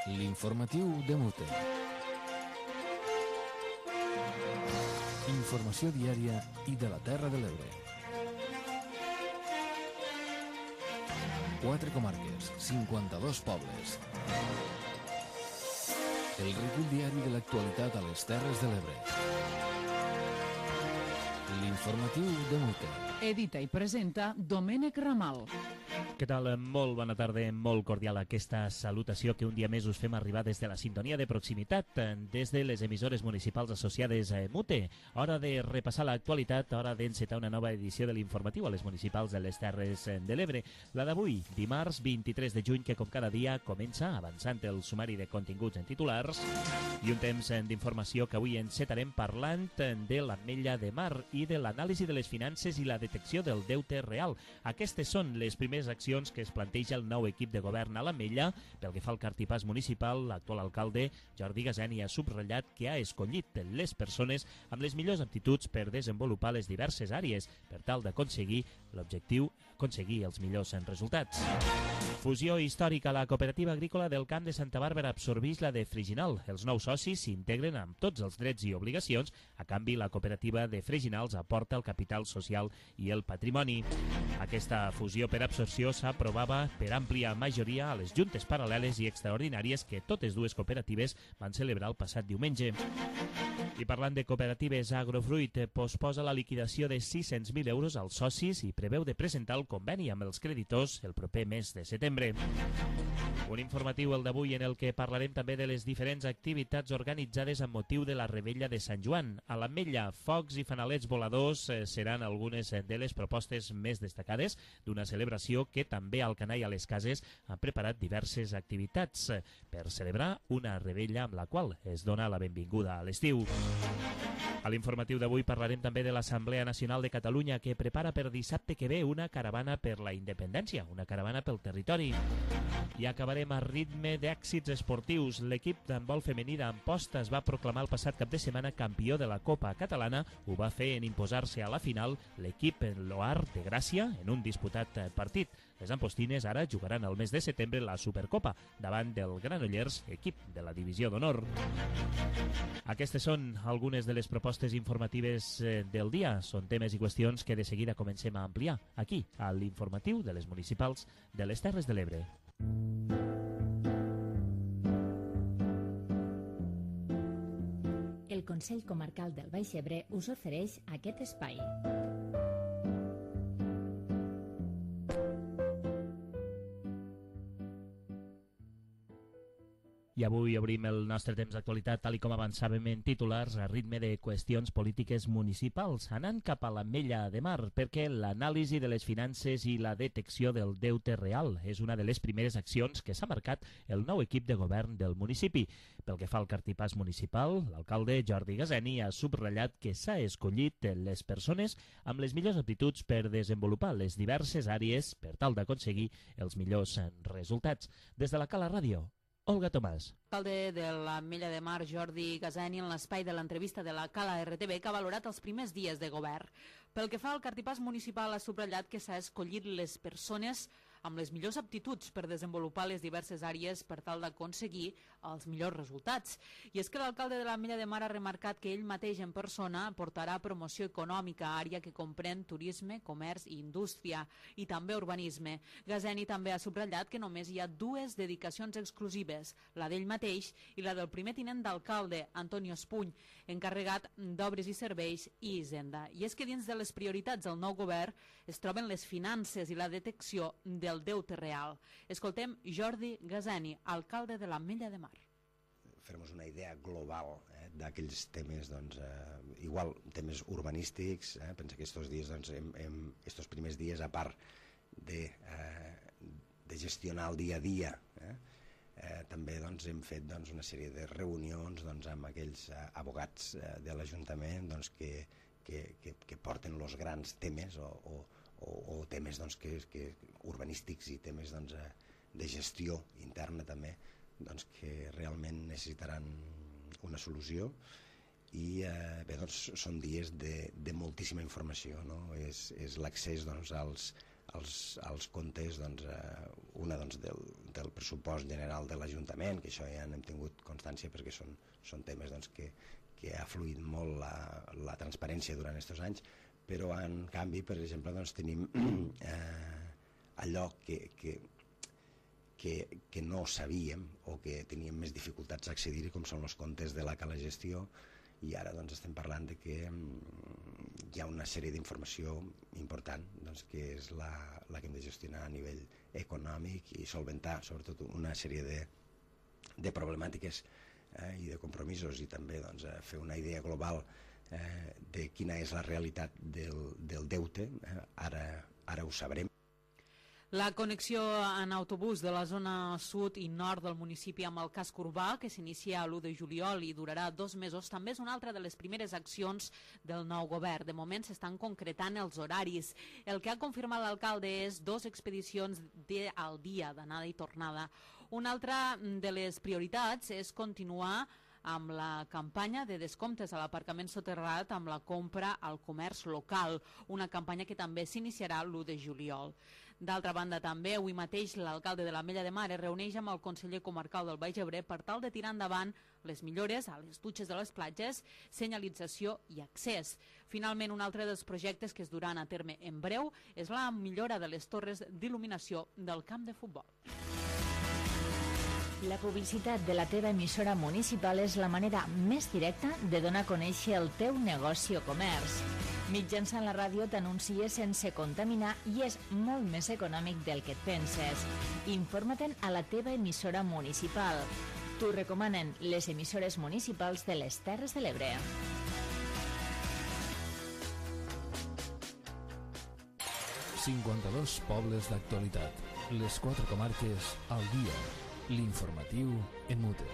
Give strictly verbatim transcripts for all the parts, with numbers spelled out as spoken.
L'informatiu de Mute. Informació diària i de la Terra de l'Ebre. Quatre comarques, cinquanta-dos pobles. El recull diari de l'actualitat a les Terres de l'Ebre. L'informatiu de Mute. Edita i presenta Domènec Ramal. Què tal? Molt bona tarda, molt cordial aquesta salutació que un dia més us fem arribar des de la sintonia de proximitat, des de les emissores municipals associades a Mute. Hora de repassar l'actualitat, hora d'encetar una nova edició de l'informatiu a les municipals de les Terres de l'Ebre. La d'avui, dimarts vint-i-tres de juny, que com cada dia comença avançant el sumari de continguts en titulars i un temps d'informació que avui encetarem parlant de l'Ametlla de Mar i de l'anàlisi de les finances i la detecció del deute real. Aquestes són les primeres accions que es planteja el nou equip de govern a l'Ametlla. Pel que fa al cartipàs municipal, l'actual alcalde Jordi Gaseni ha subratllat que ha escollit les persones amb les millors aptituds per desenvolupar les diverses àrees per tal d'aconseguir l'objectiu, aconseguir els millors resultats. Fusió històrica. La cooperativa agrícola del Camp de Santa Bàrbara absorbeix la de Freginal. Els nous socis s'integren amb tots els drets i obligacions. A canvi, la cooperativa de Freginals aporta el capital social i el patrimoni. Aquesta fusió per absorció s'aprovava per àmplia majoria a les juntes paral·leles i extraordinàries que totes dues cooperatives van celebrar el passat diumenge. I parlant de cooperatives, Agrofruit posposa la liquidació de sis-cents mil euros als socis i preveu de presentar el conveni amb els creditors el proper mes de setembre. Un informatiu, el d'avui, en el que parlarem també de les diferents activitats organitzades amb motiu de la Revetlla de Sant Joan. A l'Ametlla, focs i fanalets voladors seran algunes de les propostes més destacades d'una celebració que també al Canall a les Cases ha preparat diverses activitats per celebrar una revetlla amb la qual es dona la benvinguda a l'estiu. A l'informatiu d'avui parlarem també de l'Assemblea Nacional de Catalunya, que prepara per dissabte que ve una caravana per la independència, una caravana pel territori. I acabarem a ritme d'èxits esportius. L'equip d'handbol femení d'Amposta es va proclamar el passat cap de setmana campió de la Copa Catalana. Ho va fer en imposar-se a la final l'equip Loar de Gràcia en un disputat partit. Les ampostines ara jugaran el mes de setembre la Supercopa davant del Granollers, equip de la Divisió d'Honor. Aquestes són algunes de les propostes informatives del dia. Són temes i qüestions que de seguida comencem a ampliar aquí, a l'informatiu de les municipals de les Terres de l'Ebre. El Consell Comarcal del Baix Ebre us ofereix aquest espai. I avui obrim el nostre temps d'actualitat, tal i com avançàvem en titulars, a ritme de qüestions polítiques municipals, anant cap a l'Ametlla de Mar, perquè l'anàlisi de les finances i la detecció del deute real és una de les primeres accions que s'ha marcat el nou equip de govern del municipi. Pel que fa al cartipàs municipal, l'alcalde Jordi Gaseni ha subratllat que s'ha escollit les persones amb les millors aptituds per desenvolupar les diverses àrees per tal d'aconseguir els millors resultats. Des de la Cala Ràdio, Olga Tomàs. L'alcalde de l'Ametlla de Mar, Jordi Gaseni, en l'espai de l'entrevista de la Cala R T V, que ha valorat els primers dies de govern. Pel que fa al cartipàs municipal, ha subratllat que s'ha escollit les persones amb les millors aptituds per desenvolupar les diverses àrees per tal d'aconseguir els millors resultats. I és que l'alcalde de l'Ametlla de Mar ha remarcat que ell mateix en persona portarà promoció econòmica a àrea que comprèn turisme, comerç i indústria, i també urbanisme. Gaseni també ha subratllat que només hi ha dues dedicacions exclusives, la d'ell mateix i la del primer tinent d'alcalde, Antonio Espuny, encarregat d'obres i serveis i hisenda. I és que dins de les prioritats del nou govern es troben les finances i la detecció del deute real. Escoltem Jordi Gaseni, alcalde de l'Ametlla de Mar. Fer-nos una idea global eh, d'aquells temes, doncs, eh, igual temes urbanístics, eh, pensa que estos dies, doncs, hem, hem, estos primers dies, a part de, eh, de gestionar el dia a dia, eh, eh, també doncs, hem fet doncs, una sèrie de reunions doncs, amb aquells eh, abogats eh, de l'Ajuntament doncs, que, que, que, que porten els grans temes o, o, o, o temes doncs, que, que urbanístics i temes doncs, de gestió interna també, doncs, que realment necessitaran una solució. I eh, bé, doncs, són dies de, de moltíssima informació, no? És, és l'accés doncs, als, als, als comptes, doncs, eh, una doncs, del, del pressupost general de l'Ajuntament, que això ja n'hem tingut constància perquè són, són temes doncs, que, que ha fluït molt la, la transparència durant aquests anys, però en canvi, per exemple, doncs, tenim eh, allò que, que, que, que no sabíem o que teníem més dificultats a accedir-hi, com són els comptes de la Cala Gestió, i ara doncs, estem parlant de que hi ha una sèrie d'informació important doncs, que és la, la que hem de gestionar a nivell econòmic i solventar sobretot una sèrie de, de problemàtiques eh, i de compromisos, i també doncs, fer una idea global eh, de quina és la realitat del, del deute. Eh, ara, ara ho sabrem. La connexió en autobús de la zona sud i nord del municipi amb el casc urbà, que s'inicia l'u de juliol i durarà dos mesos, també és una altra de les primeres accions del nou govern. De moment s'estan concretant els horaris. El que ha confirmat l'alcalde és dos expedicions de, al dia d'anada i tornada. Una altra de les prioritats és continuar amb la campanya de descomptes a l'aparcament soterrat amb la compra al comerç local, una campanya que també s'iniciarà l'u de juliol. D'altra banda, també, avui mateix, l'alcalde de l'Ametlla de Mar es reuneix amb el conseller comarcal del Baix Ebre per tal de tirar endavant les millores a les dutxes de les platges, senyalització i accés. Finalment, un altre dels projectes que es duran a terme en breu és la millora de les torres d'il·luminació del camp de futbol. La publicitat de la teva emissora municipal és la manera més directa de donar a conèixer el teu negoci o comerç. Mitjançant la ràdio t'anuncies sense contaminar i és molt més econòmic del que et penses. Informa-te'n a la teva emissora municipal. T'ho recomanen les emissores municipals de les Terres de l'Ebre. cinquanta-dos pobles d'actualitat. Les quatre comarques al dia. L'informatiu en Mute.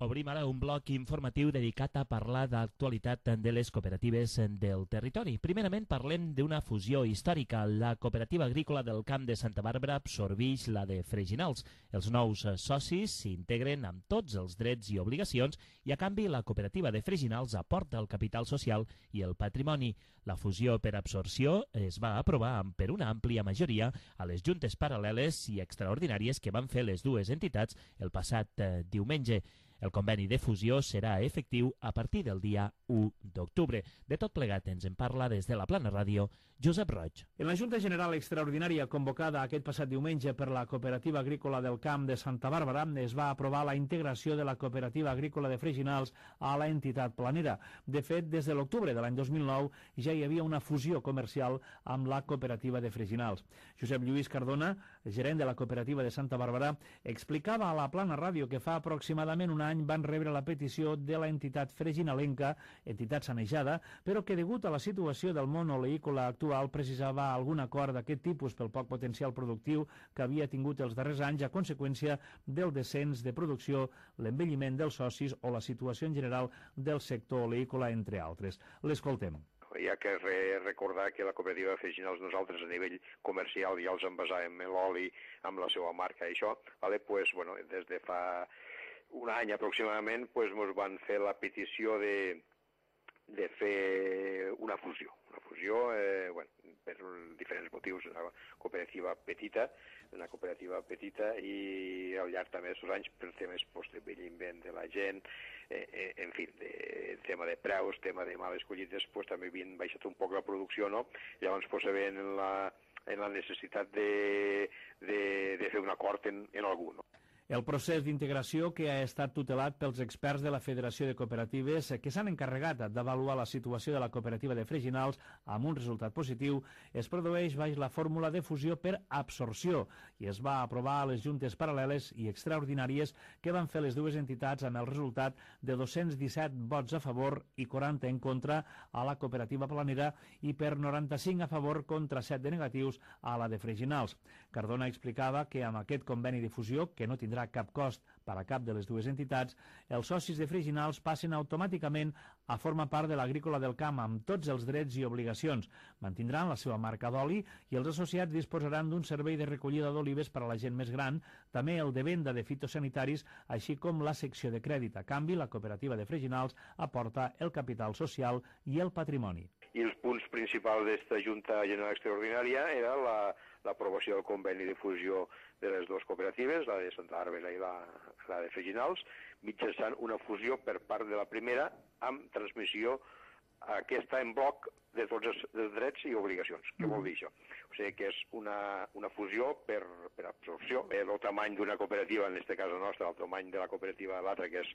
Obrim ara un bloc informatiu dedicat a parlar d'actualitat de les cooperatives del territori. Primerament parlem d'una fusió històrica. La cooperativa agrícola del Camp de Santa Bàrbara absorbeix la de Freginals. Els nous socis s'integren amb tots els drets i obligacions i a canvi la cooperativa de Freginals aporta el capital social i el patrimoni. La fusió per absorció es va aprovar per una àmplia majoria a les juntes paral·leles i extraordinàries que van fer les dues entitats el passat eh, diumenge. El conveni de fusió serà efectiu a partir del dia u d'octubre. De tot plegat ens en parla des de la Plana Ràdio Josep Roig. En la Junta General Extraordinària convocada aquest passat diumenge per la Cooperativa Agrícola del Camp de Santa Bàrbara es va aprovar la integració de la Cooperativa Agrícola de Freginals a la entitat planera. De fet, des de l'octubre de l'any dos mil nou ja hi havia una fusió comercial amb la Cooperativa de Freginals. Josep Lluís Cardona, gerent de la Cooperativa de Santa Bàrbara, explicava a la Plana Ràdio que fa aproximadament un any van rebre la petició de la entitat freginalenca, entitat sanejada, però que degut a la situació del món oleícola actual precisava algun acord d'aquest tipus pel poc potencial productiu que havia tingut els darrers anys a conseqüència del descens de producció, l'envelliment dels socis o la situació en general del sector oleícola, entre altres. L'escoltem. Hi ha que re recordar que la cooperativa de Freginals nosaltres a nivell comercial ja els envasàvem l'oli amb la seva marca i això, vale? Pues, bueno, des de fa un any aproximadament pues, ens van fer la petició de, de fer una fusió. Una fusió, eh, bueno, per diferents motius, una cooperativa petita, una cooperativa petita i al llarg també d'aquests anys per temes pues, de envelliment de la gent, eh, eh, en fi, de, tema de preus, tema de males collites, pues, també havien baixat un poc la producció, no? Llavors pues, sabien en la, en la necessitat de, de, de fer un acord en, en algú, no? El procés d'integració que ha estat tutelat pels experts de la Federació de Cooperatives que s'han encarregat d'avaluar la situació de la cooperativa de Freginals amb un resultat positiu es produeix baix la fórmula de fusió per absorció i es va aprovar a les juntes paral·leles i extraordinàries que van fer les dues entitats amb el resultat de dos-cents disset vots a favor i quaranta en contra a la cooperativa planera i per noranta-cinc a favor contra set de negatius a la de Freginals. Cardona explicava que amb aquest conveni de fusió, que no tindrà cap cost per a cap de les dues entitats, els socis de Freginals passen automàticament a formar part de l'agrícola del camp amb tots els drets i obligacions. Mantindran la seva marca d'oli i els associats disposaran d'un servei de recollida d'olives per a la gent més gran, també el de venda de fitosanitaris, així com la secció de crèdit. A canvi, la cooperativa de Freginals aporta el capital social i el patrimoni. I els punts principals d'aquesta Junta General Extraordinària era l'aprovació del conveni de fusió de les dues cooperatives, la de Santa Bàrbara i la, la de Freginals, mitjançant una fusió per part de la primera amb transmissió aquesta en bloc de tots els, els drets i obligacions. Què vol dir això? O sigui que és una, una fusió per, per absorció. El tamany d'una cooperativa, en aquest cas la nostra, el tamany de la cooperativa de l'altra, que és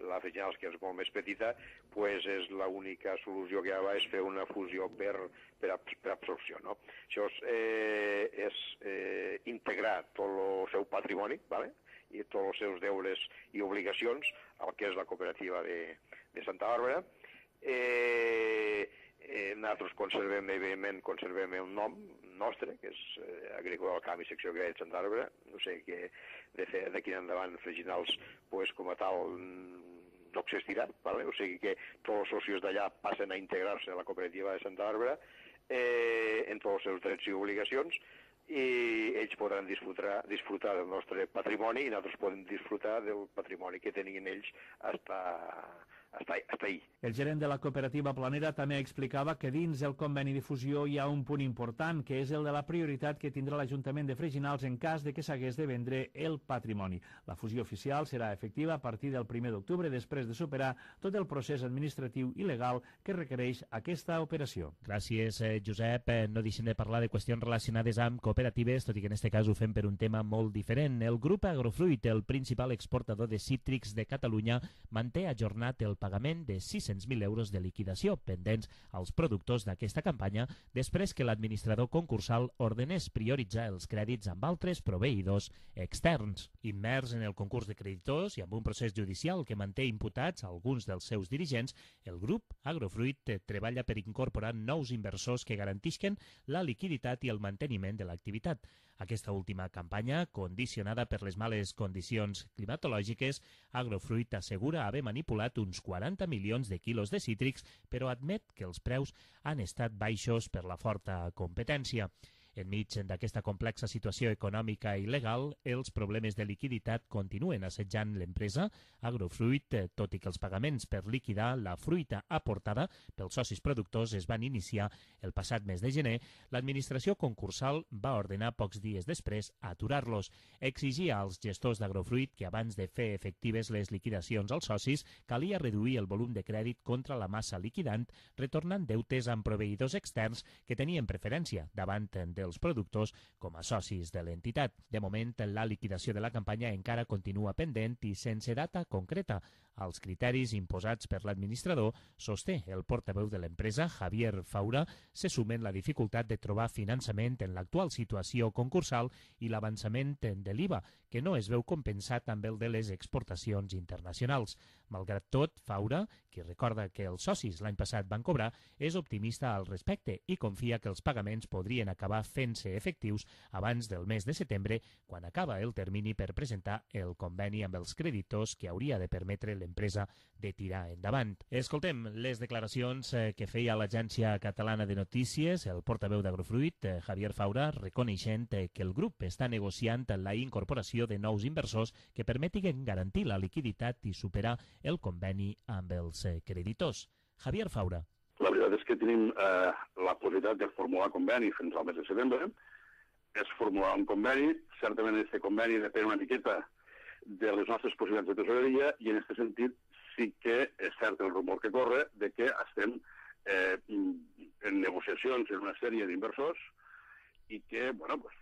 la Freginals, que és molt més petita, pues és l'única solució que hi ha és fer una fusió per, per, per absorció. No? Això és, eh, és eh, integrar tot el seu patrimoni, ¿vale? I tots els seus deures i obligacions al que és la cooperativa de, de Santa Bàrbara. Eh, eh, nosaltres conservem, evidentment, conservem el nom nostre, que és eh, Agrícola del Camp i Secció Agrària de Santa Bàrbara. No sé que d'aquí endavant Freginals, pues, com a tal, no existirà, ¿vale? O sigui que tots els socis d'allà passen a integrar-se a la cooperativa de Santa Bàrbara eh, en tots els seus drets i obligacions, i ells podran disfrutar, disfrutar del nostre patrimoni i nosaltres podem disfrutar del patrimoni que tenien ells hasta, hasta, hasta ahí. El gerent de la cooperativa Planera també explicava que dins el conveni de fusió hi ha un punt important, que és el de la prioritat que tindrà l'Ajuntament de Freginals en cas de que s'hagués de vendre el patrimoni. La fusió oficial serà efectiva a partir del primer d'octubre, després de superar tot el procés administratiu i legal que requereix aquesta operació. Gràcies, eh, Josep. Eh, no deixem de parlar de qüestions relacionades amb cooperatives, tot i que en aquest cas ho fem per un tema molt diferent. El grup Agrofruit, el principal exportador de cítrics de Catalunya, manté ajornat el pagament de sis-cents mil euros de liquidació pendents als productors d'aquesta campanya després que l'administrador concursal ordenés prioritzar els crèdits amb altres proveïdors externs. Immers en el concurs de creditors i amb un procés judicial que manté imputats alguns dels seus dirigents, el grup Agrofruit treballa per incorporar nous inversors que garantisquen la liquiditat i el manteniment de l'activitat. Aquesta última campanya, condicionada per les males condicions climatològiques, Agrofruit assegura haver manipulat uns quaranta milions de quilos de cítrics, però admet que els preus han estat baixos per la forta competència. Enmig d'aquesta complexa situació econòmica i legal, els problemes de liquiditat continuen assetjant l'empresa. Agrofruit, tot i que els pagaments per liquidar la fruita aportada pels socis productors es van iniciar el passat mes de gener, l'administració concursal va ordenar pocs dies després aturar-los. Exigia als gestors d'Agrofruit que abans de fer efectives les liquidacions als socis calia reduir el volum de crèdit contra la massa liquidant, retornant deutes amb proveïdors externs que tenien preferència davant dels els productors com a socis de l'entitat. De moment, la liquidació de la campanya encara continua pendent i sense data concreta. Els criteris imposats per l'administrador, sosté el portaveu de l'empresa, Javier Faura, se sumen la dificultat de trobar finançament en l'actual situació concursal i l'avançament de l'I V A, que no es veu compensat amb el de les exportacions internacionals. Malgrat tot, Faura, qui recorda que els socis l'any passat van cobrar, és optimista al respecte i confia que els pagaments podrien acabar fent-se efectius abans del mes de setembre, quan acaba el termini per presentar el conveni amb els creditors que hauria de permetre l'empresa de tirar endavant. Escoltem les declaracions que feia l'Agència Catalana de Notícies, el portaveu d'Agrofruit, Javier Faura, reconeixent que el grup està negociant la incorporació de nous inversors que permetin garantir la liquiditat i superar el conveni amb els creditors. Javier Faura. La veritat és que tenim eh, la possibilitat de formular conveni fins al mes de setembre. És formular un conveni. Certament aquest conveni depèn una miqueta de les nostres possibilitats de tesoreria i en aquest sentit sí que és cert el rumor que corre de que estem eh, en negociacions en una sèrie d'inversors i que, bueno, pues,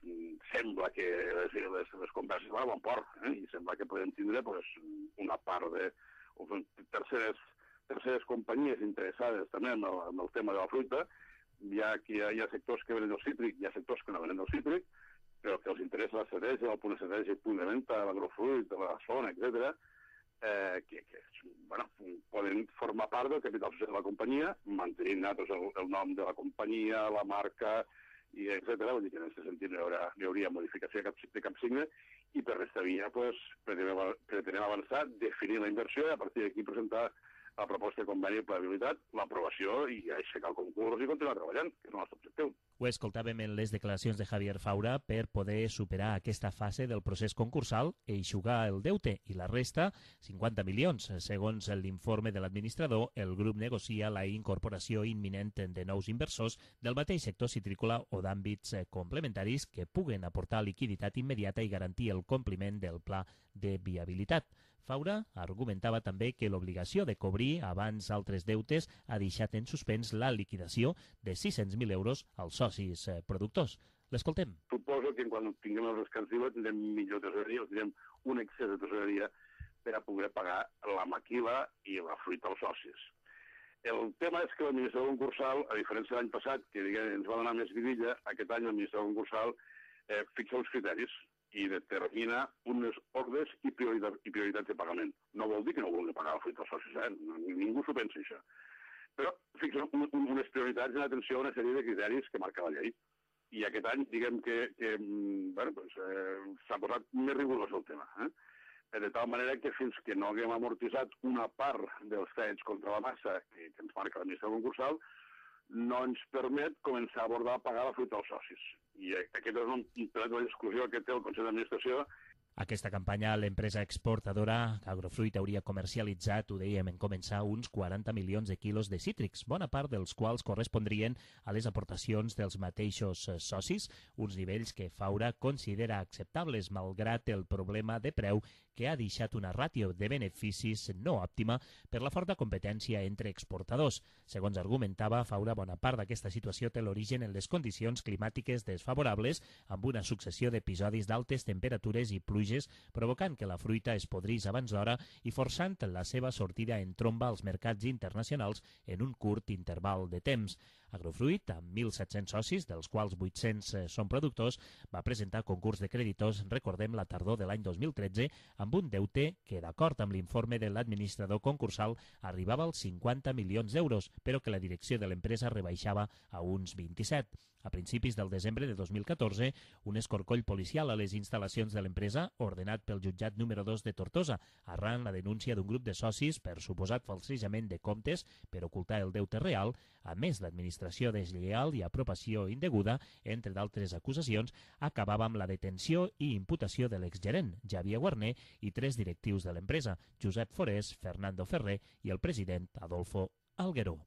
sembla que les, les, les converses van a bon port, eh? I sembla que podem tindre pues, una part de terceres, terceres companyies interessades també en el, en el tema de la fruita. Hi ha, hi ha, hi ha sectors que venen del cítric, hi ha sectors que no venen del cítric, però que els interessa l'estratègia, el punt estratègic, el punt de venda, l'agrofruit, la zona, etcètera, eh, que, que bueno, poden formar part del capital social de la companyia, mantenint nosaltres el, el nom de la companyia, la marca, i etcètera. Vull dir que en aquest sentit hi haurà, hi hauria modificació de cap, de cap signe, i per resta via pues, pretenem, pretenem avançar, definir la inversió i a partir d'aquí presentar la proposta de conveni de plegabilitat, l'aprovació i aixecar el concurs i continuar treballant, que és el nostre objectiu. Ho escoltàvem en les declaracions de Javier Faura per poder superar aquesta fase del procés concursal i eixugar el deute i la resta, cinquanta milions. Segons l'informe de l'administrador, el grup negocia la incorporació imminent de nous inversors del mateix sector citrícola o d'àmbits complementaris que puguen aportar liquiditat immediata i garantir el compliment del pla de viabilitat. Faura argumentava també que l'obligació de cobrir abans altres deutes ha deixat en suspens la liquidació de sis-cents mil euros als socis productors. L'escoltem. Suposo que quan tinguem el descans d'I V A tindrem millor tesoreria, tindrem un excés de tesoreria per a poder pagar la maquila i la fruita als socis. El tema és que l'administrador concursal, a diferència de l'any passat, que diguem, ens va donar més vidilla, aquest any l'administrador concursal eh, fixa uns criteris i determina unes ordres i, prioritat, i prioritats de pagament. No vol dir que no vulgui pagar la fruita als socis, eh? Ningú s'ho pensa, això. Però fixa un, un, unes prioritats en atenció a una sèrie de criteris que marca la llei. I aquest any, diguem que, que bueno, pues, eh, s'ha posat més rigorós el tema. Eh? De tal manera que fins que no haguem amortitzat una part dels fets contra la massa que, que ens marca l'administració concursal, no ens permet començar a abordar a pagar la fruita als socis. I aquest és un plet de l'exclusió que té el Consell d'Administració. Aquesta campanya, l'empresa exportadora Agrofruit hauria comercialitzat, ho dèiem en començar, uns quaranta milions de quilos de cítrics, bona part dels quals correspondrien a les aportacions dels mateixos socis, uns nivells que Faura considera acceptables, malgrat el problema de preu que ha deixat una ràtio de beneficis no òptima per la forta competència entre exportadors. Segons argumentava Faura, bona part d'aquesta situació té l'origen en les condicions climàtiques desfavorables, amb una successió d'episodis d'altes temperatures i pluges, provocant que la fruita es podrís abans d'hora i forçant la seva sortida en tromba als mercats internacionals en un curt interval de temps. Agrofruit, amb mil set-cents socis, dels quals vuit-cents són productors, va presentar concurs de creditors, recordem, la tardor de l'any dos mil tretze, amb un deute que, d'acord amb l'informe de l'administrador concursal, arribava als cinquanta milions d'euros, però que la direcció de l'empresa rebaixava a uns vint-i-set. A principis del desembre de dos mil catorze, un escorcoll policial a les instal·lacions de l'empresa, ordenat pel jutjat número dos de Tortosa, arran la denúncia d'un grup de socis per suposat falsejament de comptes per ocultar el deute real, a més d'administració deslleial i apropació indeguda, entre d'altres acusacions, acabava amb la detenció i imputació de l'exgerent, Javier Guarner, i tres directius de l'empresa, Josep Forés, Fernando Ferrer i el president Adolfo Algueró.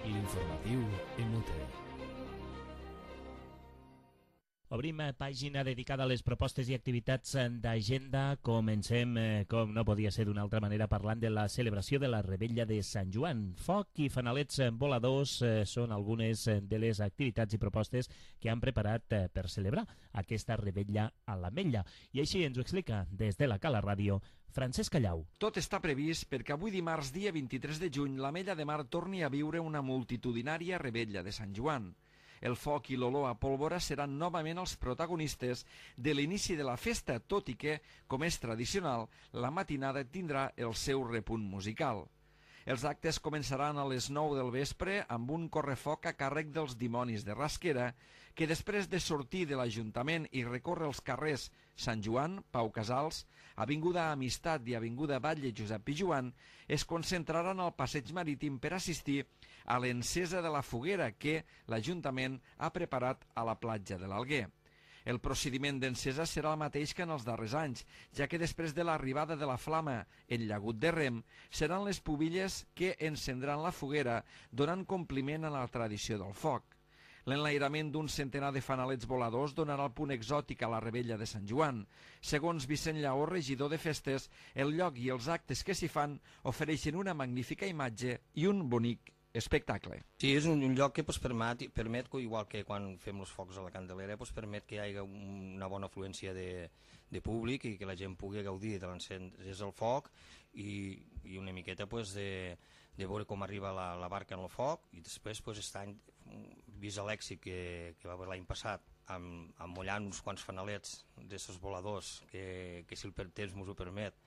L'informatiu en Mute. Obrim pàgina dedicada a les propostes i activitats d'agenda. Comencem, eh, com no podia ser d'una altra manera, parlant de la celebració de la Revetlla de Sant Joan. Foc i fanalets voladors eh, són algunes de les activitats i propostes que han preparat eh, per celebrar aquesta Revetlla a l'Ametlla. I així ens ho explica des de la Cala Ràdio Francesc Callau. Tot està previst perquè avui dimarts, dia vint-i-tres de juny, l'Ametlla de Mar torni a viure una multitudinària Revetlla de Sant Joan. El foc i l'olor a pólvora seran novament els protagonistes de l'inici de la festa, tot i que, com és tradicional, la matinada tindrà el seu repunt musical. Els actes començaran a les nou del vespre amb un correfoc a càrrec dels dimonis de Rasquera, que després de sortir de l'Ajuntament i recórrer els carrers Sant Joan, Pau Casals, Avinguda Amistat i Avinguda Batlle Josep Pijuan, es concentraran al passeig marítim per assistir a l'encesa de la foguera que l'Ajuntament ha preparat a la platja de l'Alguer. El procediment d'encesa serà el mateix que en els darrers anys, ja que després de l'arribada de la flama en llagut de Rem, seran les pubilles que encendran la foguera, donant compliment a la tradició del foc. L'enlairament d'un centenar de fanalets voladors donarà el punt exòtic a la Revetlla de Sant Joan. Segons Vicent Lleó, regidor de festes, el lloc i els actes que s'hi fan ofereixen una magnífica imatge i un bonic espectacle. Sí, és un, un lloc que pues, permet, permet, igual que quan fem els focs a la Candelera, pues, permet que hi hagi una bona afluència de, de públic i que la gent pugui gaudir de l'encès del foc i, i una miqueta pues, de, de veure com arriba la, la barca en el foc i després, pues, aquest any, vist l'èxit que, que va haver l'any passat, amb, amb mullant uns quants fanalets d'aquests voladors, que, que si el temps ens ho permet,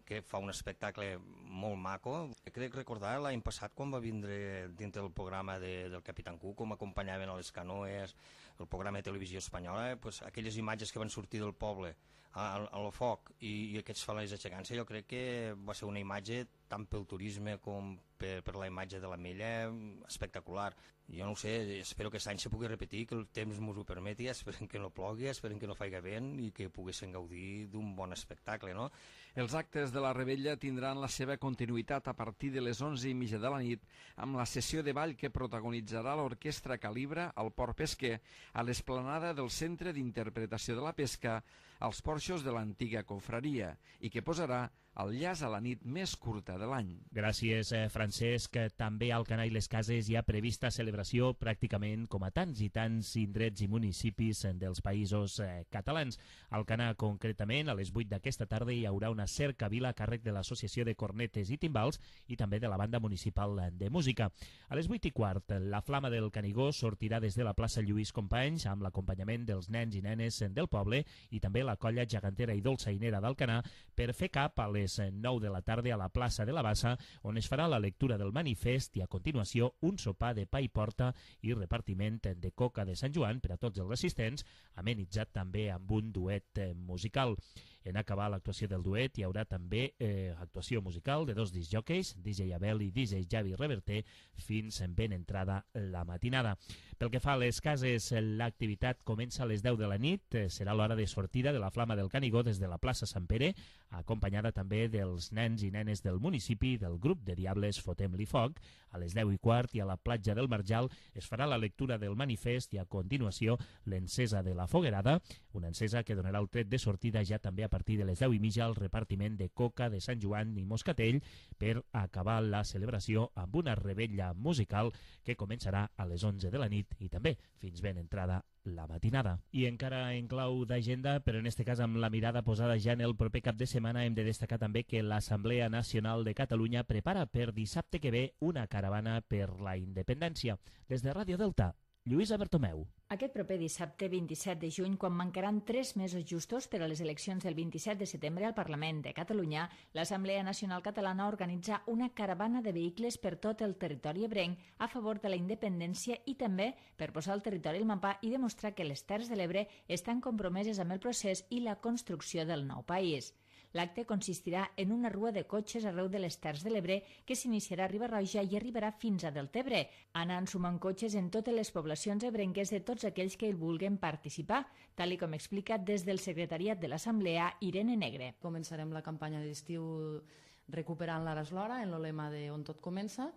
que fa un espectacle molt maco. Crec recordar l'any passat quan va vindre dintre del programa de, del Capitán Cook, com acompanyaven a les canoes, el programa de televisió espanyola, pues, aquelles imatges que van sortir del poble al foc i, i aquests falers aixecant-se, jo crec que va ser una imatge tant pel turisme com per, per la imatge de l'Ametlla espectacular. Jo no ho sé, espero que aquest any se pugui repetir, que el temps ens ho permeti, esperem que no plogui, esperem que no faci vent i que poguéssim gaudir d'un bon espectacle, no? Els actes de la Rebella tindran la seva continuïtat a partir de les onze i mitja de la nit amb la sessió de ball que protagonitzarà l'Orquestra Calibra al Port Pesquer a l'esplanada del Centre d'Interpretació de la Pesca als porxos de l'antiga confraria i que posarà el llaç a la nit més curta de l'any. Gràcies, eh, Francesc. També al Alcanar i les Cases hi ha prevista celebració pràcticament com a tants i tants indrets i municipis dels països eh, catalans. Al Alcanar, concretament, a les vuit d'aquesta tarda hi haurà una cercavila a càrrec de l'Associació de Cornetes i Timbals i també de la Banda Municipal de Música. A les vuit i quart, la Flama del Canigó sortirà des de la plaça Lluís Companys amb l'acompanyament dels nens i nenes del poble i també la colla gegantera i dolçainera d'Alcanar per fer cap a les nou de la tarda a la plaça de la Bassa, on es farà la lectura del manifest i a continuació un sopar de pa i porta i repartiment de coca de Sant Joan per a tots els assistents, amenitzat també amb un duet musical. En acabar l'actuació del duet hi haurà també eh, actuació musical de dos discjòqueis, D J Abel i D J Javi Reverter, fins en ben entrada la matinada. Pel que fa a les cases, l'activitat comença a les deu de la nit, serà l'hora de sortida de la Flama del Canigó des de la plaça Sant Pere, acompanyada també dels nens i nenes del municipi del grup de Diables Fotem-li Foc. A les deu i quart i a la platja del Marjal es farà la lectura del manifest i a continuació l'encesa de la foguerada, una encesa que donarà el tret de sortida ja també a partir de les deu i mitja al repartiment de coca de Sant Joan i Moscatell per acabar la celebració amb una rebella musical que començarà a les onze de la nit i també fins ben entrada la matinada. I encara en clau d'agenda, però en este cas amb la mirada posada ja en el proper cap de setmana, hem de destacar també que l'Assemblea Nacional de Catalunya prepara per dissabte que ve una caravana per la independència. Des de Ràdio Delta, Lluïsa Bertomeu. Aquest proper dissabte vint-i-set de juny, quan mancaran tres mesos justos per a les eleccions del vint-i-set de setembre al Parlament de Catalunya, l'Assemblea Nacional Catalana organitza una caravana de vehicles per tot el territori ebrenc a favor de la independència i també per posar el territori al mapa i demostrar que les Terres de l'Ebre estan compromeses amb el procés i la construcció del nou país. L'acte consistirà en una rua de cotxes arreu de les Terres de l'Ebre que s'iniciarà a Riba-roja i arribarà fins a Deltebre, anant sumant cotxes en totes les poblacions ebrenques de tots aquells que hi vulguin participar, tal i com explica des del secretariat de l'Assemblea Irene Negre. Començarem la campanya d'estiu recuperant l'Ara és l'hora, en el lema de On tot comença,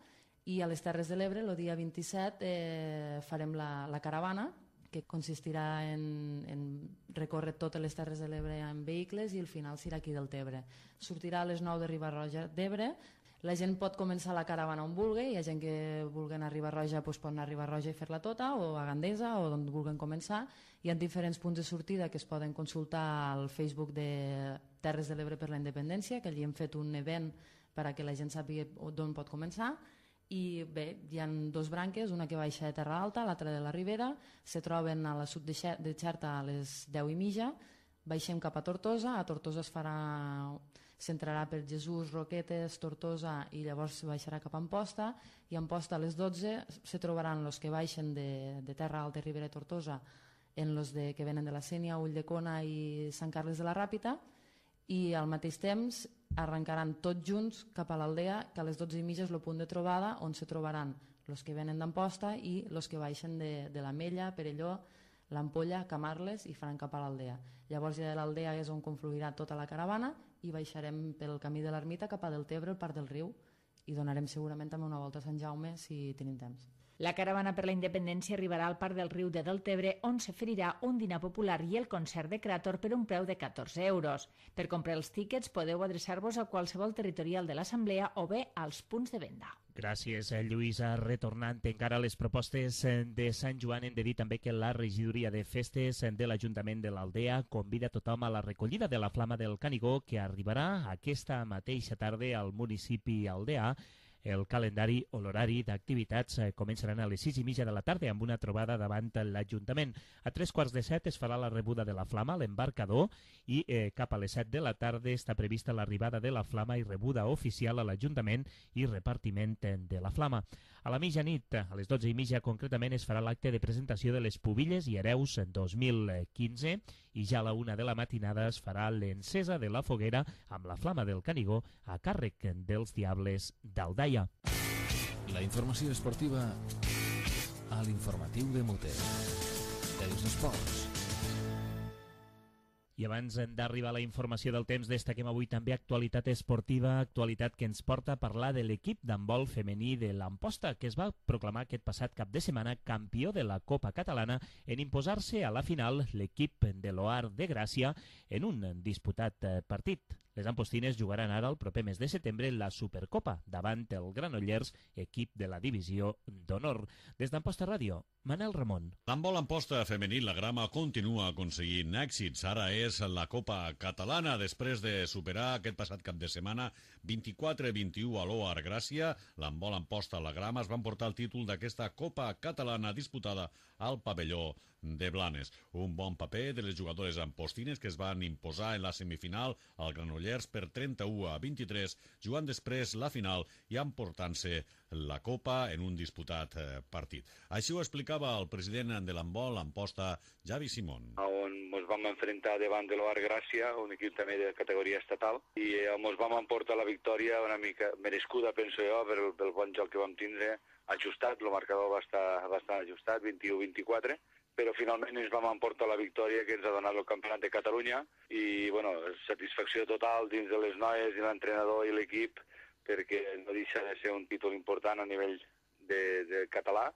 i a les Terres de l'Ebre, el dia vint-i-set, eh, farem la, la caravana, que consistirà en, en recórrer totes les Terres de l'Ebre en vehicles i al final serà aquí del Tebre. Sortirà a les nou de Riba-roja d'Ebre, la gent pot començar la caravana on vulgui, hi ha gent que vulgui anar a Riba-roja doncs pot anar a Riba-roja i fer-la tota, o a Gandesa, o on vulguin començar. Hi ha diferents punts de sortida que es poden consultar al Facebook de Terres de l'Ebre per la Independència, que allí hem fet un event per a que la gent sàpiga d'on pot començar. I bé, hi ha dos branques, una que baixa de Terra Alta, l'altra de la Ribera, se troben a la sud de Xerta a les deu i mitja, baixem cap a Tortosa, a Tortosa es farà, s'entrarà per Jesús, Roquetes, Tortosa i llavors se baixarà cap a Amposta, i a Amposta a les dotze se trobaran els que baixen de, de Terra Alta, Ribera i Tortosa en els de, que venen de la Sénia, Ulldecona i Sant Carles de la Ràpita, i al mateix temps arrencaran tots junts cap a l'Aldea, que a les dotze i mitja és el punt de trobada on se trobaran els que venen d'Amposta i els que baixen de, de l'Ametlla, Perelló, l'Ampolla, Camarles i faran cap a l'Aldea. Llavors ja de l'Aldea és on confluirà tota la caravana i baixarem pel camí de l'Ermita cap a Deltebre, el Parc del Riu, i donarem segurament també una volta a Sant Jaume si tenim temps. La caravana per la independència arribarà al Parc del Riu de Deltebre, on s'oferirà un dinar popular i el concert de Cràtor per un preu de catorze euros. Per comprar els tíquets podeu adreçar-vos a qualsevol territorial de l'Assemblea o bé als punts de venda. Gràcies, Lluïsa. Retornant encara a les propostes de Sant Joan, hem de dir també que la regidoria de festes de l'Ajuntament de l'Aldea convida tothom a la recollida de la Flama del Canigó, que arribarà aquesta mateixa tarda al municipi aldeà, El calendari o l'horari d'activitats començaran a les sis i mitja de la tarda amb una trobada davant l'Ajuntament. A tres quarts de set es farà la rebuda de la flama a l'embarcador i eh, cap a les set de la tarda està prevista l'arribada de la flama i rebuda oficial a l'Ajuntament i repartiment de la flama. A la mitjanit, a les dotze i mitja concretament, es farà l'acte de presentació de les Pubilles i Hereus dos mil quinze i ja a la una de la matinada es farà l'encesa de la foguera amb la flama del Canigó a càrrec dels Diables d'Aldaia. La informació esportiva a l'informatiu de Mute. Els esports. I abans d'arribar a la informació del temps, destaquem avui també actualitat esportiva, actualitat que ens porta a parlar de l'equip d'handbol femení de l'Amposta, que es va proclamar aquest passat cap de setmana campió de la Copa Catalana en imposar-se a la final l'equip de l'Oar de Gràcia en un disputat partit. Les ampostines jugaran ara el proper mes de setembre la Supercopa davant el Granollers, equip de la divisió d'honor. Des d'Amposta Ràdio, Manel Ramon. L'handbol Amposta femení, la grama, continua aconseguint èxits. Ara és la Copa Catalana, després de superar aquest passat cap de setmana vint-i-quatre a vint-i-u a l'Oar Gràcia. L'handbol Amposta, la grama, es van portar el títol d'aquesta Copa Catalana disputada al pavelló de Blanes. Un bon paper de les jugadores ampostines que es van imposar en la semifinal al Granollers per trenta-u a vint-i-tres, jugant després la final i emportant-se la Copa en un disputat eh, partit. Així ho explicava el president de l'handbol Amposta, Javi Simón. On ens vam enfrontar davant de l'Oar Gràcia, un equip també de categoria estatal, i eh, ens vam emportar la victòria una mica merescuda, penso jo, pel, pel bon joc que vam tindre, ajustat, el marcador va estar bastant ajustat, vint-i-u a vint-i-quatre, però finalment ens vam emportar la victòria que ens ha donat el Campionat de Catalunya i, bueno, satisfacció total dins de les noies i l'entrenador i l'equip perquè no deixa de ser un títol important a nivell de, de català.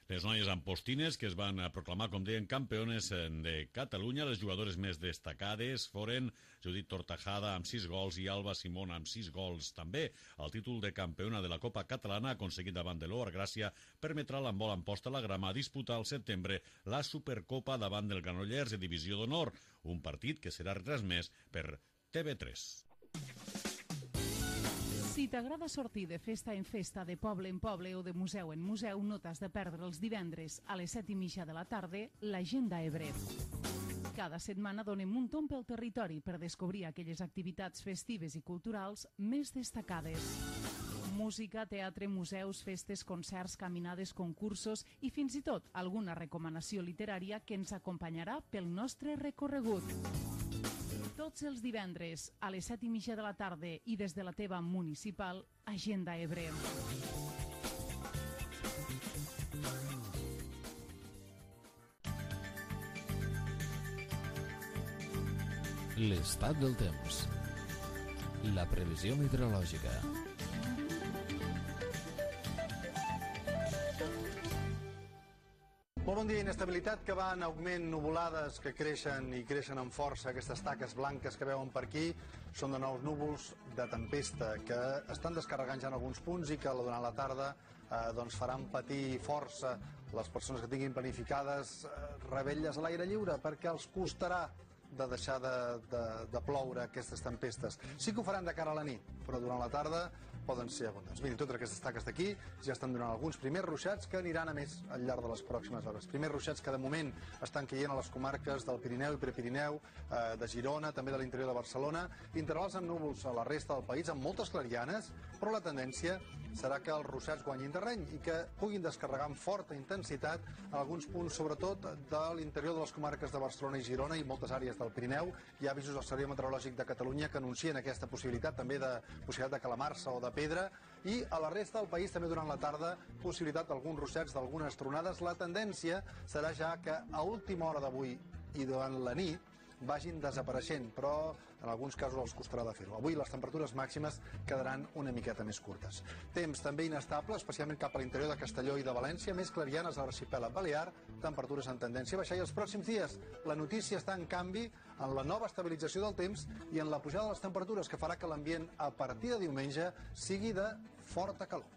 Les noies ampostines que es van proclamar, com deien, campiones de Catalunya. Les jugadores més destacades foren Judit Tortajada amb sis gols i Alba Simón amb sis gols també. El títol de campiona de la Copa Catalana aconseguit davant de l'Oar Gràcia permetrà a l'handbol Amposta la grama disputar al setembre la Supercopa davant del Granollers de Divisió d'Honor, un partit que serà retransmès per T V tres. Si t'agrada sortir de festa en festa, de poble en poble o de museu en museu, no t'has de perdre els divendres a les set i mitja de la tarda l'Agenda Ebre. Cada setmana donem un tomb pel territori per descobrir aquelles activitats festives i culturals més destacades. Música, teatre, museus, festes, concerts, caminades, concursos i fins i tot alguna recomanació literària que ens acompanyarà pel nostre recorregut. Tots els divendres a les set i mitja de la tarda i des de la teva municipal, Agenda Ebre. L'estat del temps. La previsió meteorològica. Molt bon dia. Inestabilitat que va en augment, nuvolades que creixen i creixen amb força. Aquestes taques blanques que veuen per aquí són de nous núvols de tempesta que estan descarregant ja en alguns punts i que durant la tarda eh, doncs faran patir força les persones que tinguin planificades eh, revetlles a l'aire lliure perquè els costarà de deixar de, de, de ploure aquestes tempestes. Sí que ho faran de cara a la nit, però durant la tarda poden ser abundants. Mirin, totes aquestes taques d'aquí ja estan donant alguns primers ruixats que aniran a més al llarg de les pròximes hores. Primers ruixats que de moment estan caient a les comarques del Pirineu i Prepirineu, eh, de Girona, també de l'interior de Barcelona, intervals amb núvols a la resta del país, amb moltes clarianes, però la tendència serà que els ruixats guanyin terreny i que puguin descarregar amb forta intensitat en alguns punts, sobretot de l'interior de les comarques de Barcelona i Girona i moltes àrees del Pirineu. Hi ha avisos del Servei Meteorològic de Catalunya que anuncien aquesta possibilitat, també de possibilitat de calamarsa o de pedra, i a la resta del país també durant la tarda possibilitat d'alguns ruixats, d'algunes tronades. La tendència serà ja que a última hora d'avui i durant la nit vagin desapareixent, però en alguns casos els costarà de fer-ho. Avui les temperatures màximes quedaran una miqueta més curtes. Temps també inestable, especialment cap a l'interior de Castelló i de València, més clarianes a l'arxipèlag balear, temperatures en tendència a baixar. I els pròxims dies la notícia està en canvi en la nova estabilització del temps i en la pujada de les temperatures, que farà que l'ambient a partir de diumenge sigui de forta calor.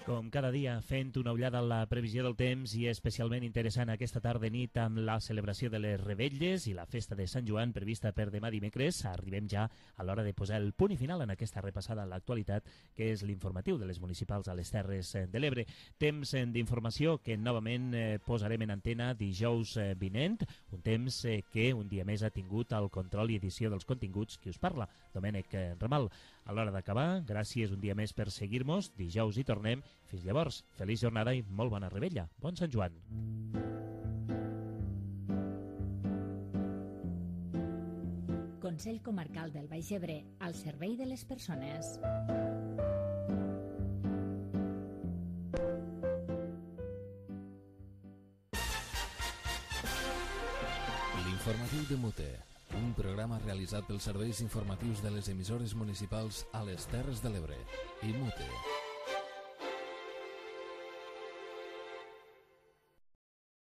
Com cada dia, fent una ullada a la previsió del temps i especialment interessant aquesta tarda nit amb la celebració de les Revetlles i la festa de Sant Joan prevista per demà dimecres, arribem ja a l'hora de posar el punt i final en aquesta repassada a l'actualitat, que és l'informatiu de les municipals a les Terres de l'Ebre. Temps d'informació que novament eh, posarem en antena dijous eh, vinent, un temps eh, que un dia més ha tingut el control i edició dels continguts qui us parla, Domènec eh, Ramal. A l'hora d'acabar, gràcies un dia més per seguir-nos. Dijous hi tornem. Fins llavors, feliç jornada i molt bona rebella. Bon Sant Joan. Consell Comarcal del Baix Ebre, al servei de les persones. L'informatiu de Mute, un programa realitzat pels serveis informatius de les emissores municipals a les Terres de l'Ebre i Mute.